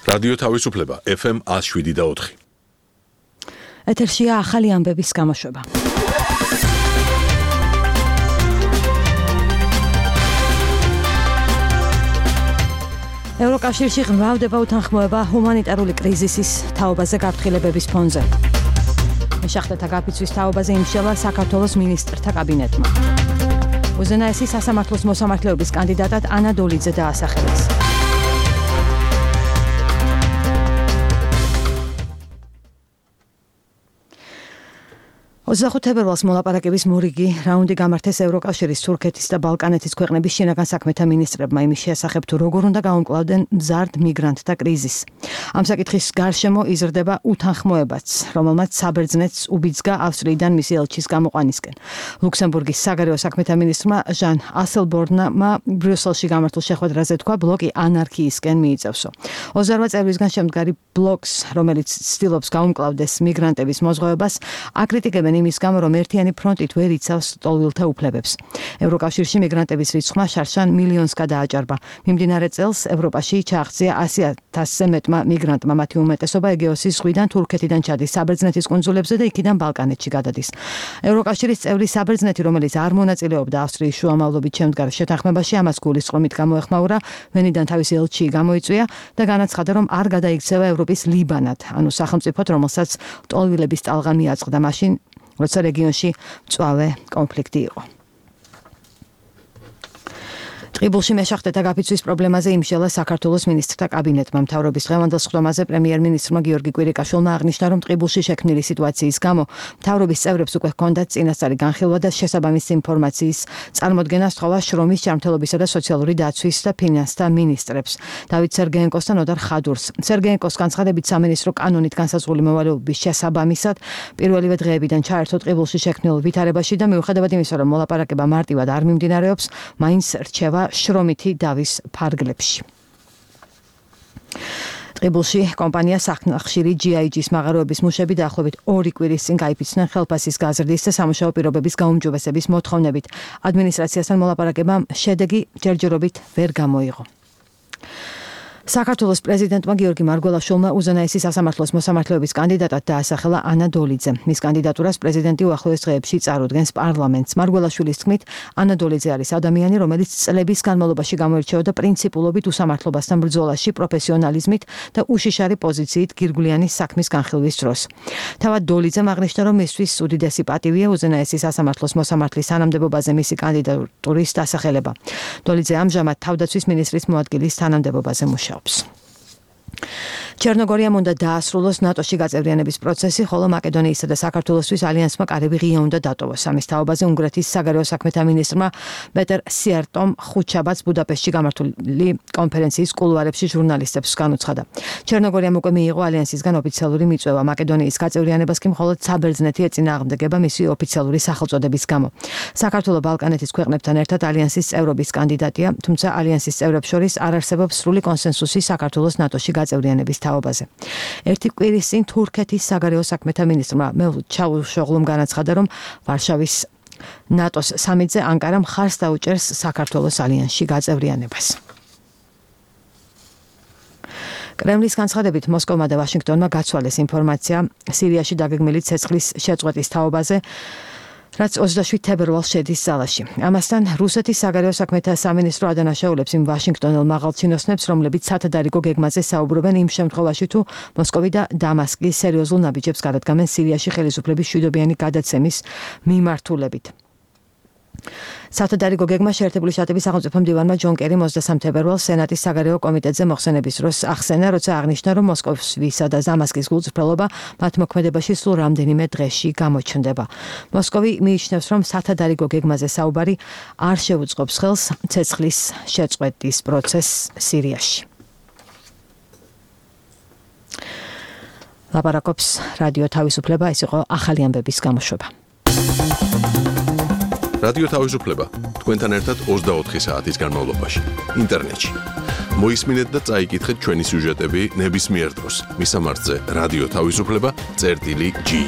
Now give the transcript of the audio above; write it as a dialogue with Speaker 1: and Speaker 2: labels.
Speaker 1: რადიო თავისუფლება FM 107.4.
Speaker 2: ეთერშია ახალი ამბების გამოშვება. ევროკავშირში ღრმავდება უთანხმოება ჰუმანიტარული კრიზისის თაობაზე გაფრთხილებების ფონზე. მეშახტეთა გაფიცვის თაობაზე იმშელა საქართველოს მინისტრთა კაბინეტმა. უზენაესი სასამართლოს მოსამართლეობის კანდიდატად ანა დოლიძე დაასახელეს. 25 თებერვალს მოლაპარაკების მორიგი რაუნდი გამართეს ევროკავშირის, თურქეთის და ბალკანეთის ქვეყნების შინაგან საქმეთა მინისტრებმა იმის შესახებ, თუ როგორ უნდა გაუმკლავდნენ მზარდ მიგრანტთა კრიზისს. ამ საკითხის გარშემო იზრდება უთანხმოებაც, რომელმაც საბერძნეთს უბიძგა ავსტრიიდან მისი ელჩის გამოყვანისკენ. ლუქსემბურგის საგარეო საქმეთა მინისტრმა ჟან ასელბორნმა ბრიუსელში გამართულ შეხვედრაზე თქვა, ბლოკი ანარქიისკენ მიიწევსო. 28 წევრისგან შემდგარი ბლოკს, რომელიც ცდილობს გაუმკლავდეს მიგრანტების მოზღვევებას, აკრიტიკებენ იმის გამო, რომ ერთიანი ფრონტით ვერ იცავს ტოლვილთა უფლებებს. ევროკავშირში მიგრანტების რიცხვმა შარშან მილიონს გადააჭარბა. მიმდინარე წელს ევროპაში ჩააღწია 100,000-ზე მეტმა მიგრანტმა, მათი უმეტესობა ეგეოსის ზღვიდან თურქეთიდან ჩადის საბერძნეთის კუნძულებზე და იქიდან ბალკანეთში გადადის. ევროკავშირის წევრი საბერძნეთი, რომელიც არ მონაწილეობდა ავსტრიის შუამავლობით შემდგარ შეთანხმებაში, ამას გულისწყრომით გამოეხმაურა, ვენიდან თავისი ელჩი გამოიწვია და განაცხადა, რომ არ გადაიქცევა ევროპის ლიბანად, ანუ სახელმწიფოდ, რომელსაც ტოლვილების ტალღა მიაწყდა მაშინ, როცა რეგიონში მწვავე კონფლიქტი იყო. ტყიბულში მეშახტეთა გაფიცვის პრობლემაზე იმშელა საქართველოს მინისტრთა კაბინეტმა. მთავრობის დღევანდელ სხდომაზე პრემიერ-მინისტრმა გიორგი კვირიკაშვილმა აღნიშნა, რომ ტყიბულში შექმნილი სიტუაციის გამო მთავრობის წევრებს უკვე ჰქონდათ წინასწარი განხილვა და შესაბამისი ინფორმაციის წარმოდგენა სთხოვა შრომის, ჯანმრთელობისა და სოციალური დაცვის და ფინანსთა მინისტრებს, დავით სერგეენკოს და ნოდარ ხადურს. სერგეენკოს განცხადებით, სამინისტრო კანონით განსაზღვრული მოვალეობის შესაბამისად პირველივე დღეებიდან ჩაერთო ტყიბულში შექმნილ ვითარებაში და მიუხედავად იმისა, რომ მოლაპარაკება მარტივად არ მიმდინარეობს, მაინც რჩება შრომითი დავის ფარგლებში. ტყიბულში კომპანია სახნახშირი GIG-ის მაღაროების მუშები დაახლოებით 2 კვირის წინ გაიფიცნენ ხელფასის გაზრდის და სამუშაო პირობების გაუმჯობესების მოთხოვნებით. ადმინისტრაციასთან მოლაპარაკებამ შედეგი ჯერჯერობით ვერ გამოიღო. საქართველოს პრეზიდენტმა გიორგი მარგველაშვილმა უზენაესი სასამართლოს მოსამართლეობის კანდიდატად დაასახელა ანა დოლიძე. მის კანდიდატურას პრეზიდენტი უახლოეს დღეებში წარუდგენს პარლამენტს. მარგველაშვილის თქმით, ანა დოლიძე არის ადამიანი, რომელიც წლების განმავლობაში გამოირჩეოდა პრინციპულობით უსამართლობასთან ბრძოლაში, პროფესიონალიზმით და უშიშარი პოზიციით გირგვლიანი საქმის განხილვის დროს. თავად დოლიძემ აღნიშნა, რომ მისთვის უდიდესი პატივია უზენაესი სასამართლოს მოსამართლის თანამდებობაზე მისი კანდიდატურის დასახელება. დოლიძე ამჟამად თავდაცვის მინისტრის მოადგილის თანამდებობაზე მუშაობს. ჩერნოგორიამ უნდა დაასრულოს ნატოში გაწევრიანების პროცესი, ხოლო მაკედონიისა და საქართველოსთვის ალიანსმა კარები ღია უნდა დატოვოს. ამის თაობაზე უნგრეთის საგარეო საქმეთა მინისტრმა პეტერ სიარტომ ხუთშაბათს ბუდაპეშტში გამართული კონფერენციის კულუარებში ჟურნალისტებს განუცხადა. ჩერნოგორიამ უკვე მიიღო ალიანსისგან ოფიციალური მიწვევა. მაკედონიის გაწევრიანებას კი მხოლოდ საბერძნეთი ეწინააღმდეგება მისი ოფიციალური სახელწოდების გამო. საქართველო ბალკანეთის ქვეყნებთან ერთად ალიანსის წევრობის კანდიდატია, თუმცა ალიანსის წევრებს შორის არ არსებობს სრული კონსენსუსი საქართველოს ნატოში გაწევრიანების თაობაზე. ერთი კვირის წინ თურქეთის საგარეო საქმეთა მინისტრმა მევლუდ ჩავუშოღლუმ განაცხადა, რომ ვარშავის ნატოს სამიტზე ანკარა მხარს დაუჭერს საქართველოს ალიანსში გაწევრიანებას. კრემლის განცხადებით, მოსკოვმა და ვაშინგტონმა გაცვალეს ინფორმაცია სირიაში დაგეგმილი ცეცხლის შეწყვეტის თაობაზე, რაც 27 თებერვალს შედის ზალაში. ამასთან რუსეთის საგარეო საქმეთა სამინისტრო ადანაშაულებს იმ ვაშინგტონელ მაღალჩინოსნებს, რომლებიც სათადარიგო გეგმაზე საუბრობენ იმ შემთხვევაში, თუ მოსკოვი და დამასკი სერიოზულ ნაბიჯებს გადადგამენ სირიაში ხელისუფლების მშვიდობიანი გადაცემის მიმართულებით. სათადარიგო გეგმა შეერთებული შტატების სახელმწიფო მდივანმა ჯონ კერიმ 23 თებერვალს სენატის საგარეო კომიტეტზე მოხსენების დროს ახსენა, როცა აღნიშნა, რომ მოსკოვისა და დამასკის გულწრფელობა მათ მოქმედებაში სულ რამდენიმე დღეში გამოჩნდება. მოსკოვი მიიჩნევს, რომ სათადარიგო გეგმაზე საუბარი არ შეუწყობს ხელს ცეცხლის შეწყვეტის პროცესს სირიაში. ლაპარაკობს რადიო თავისუფლება, ეს იყო ახალი ამბების გამოშვება.
Speaker 1: რადიო თავისუფლება თქვენთან ერთად 24 საათის განმავლობაში ინტერნეტში. მოისმინეთ და წაიკითხეთ ჩვენი სიუჟეტები ნებისმიერ დროს. მისამართზე რადიო თავისუფლება წერტილი G.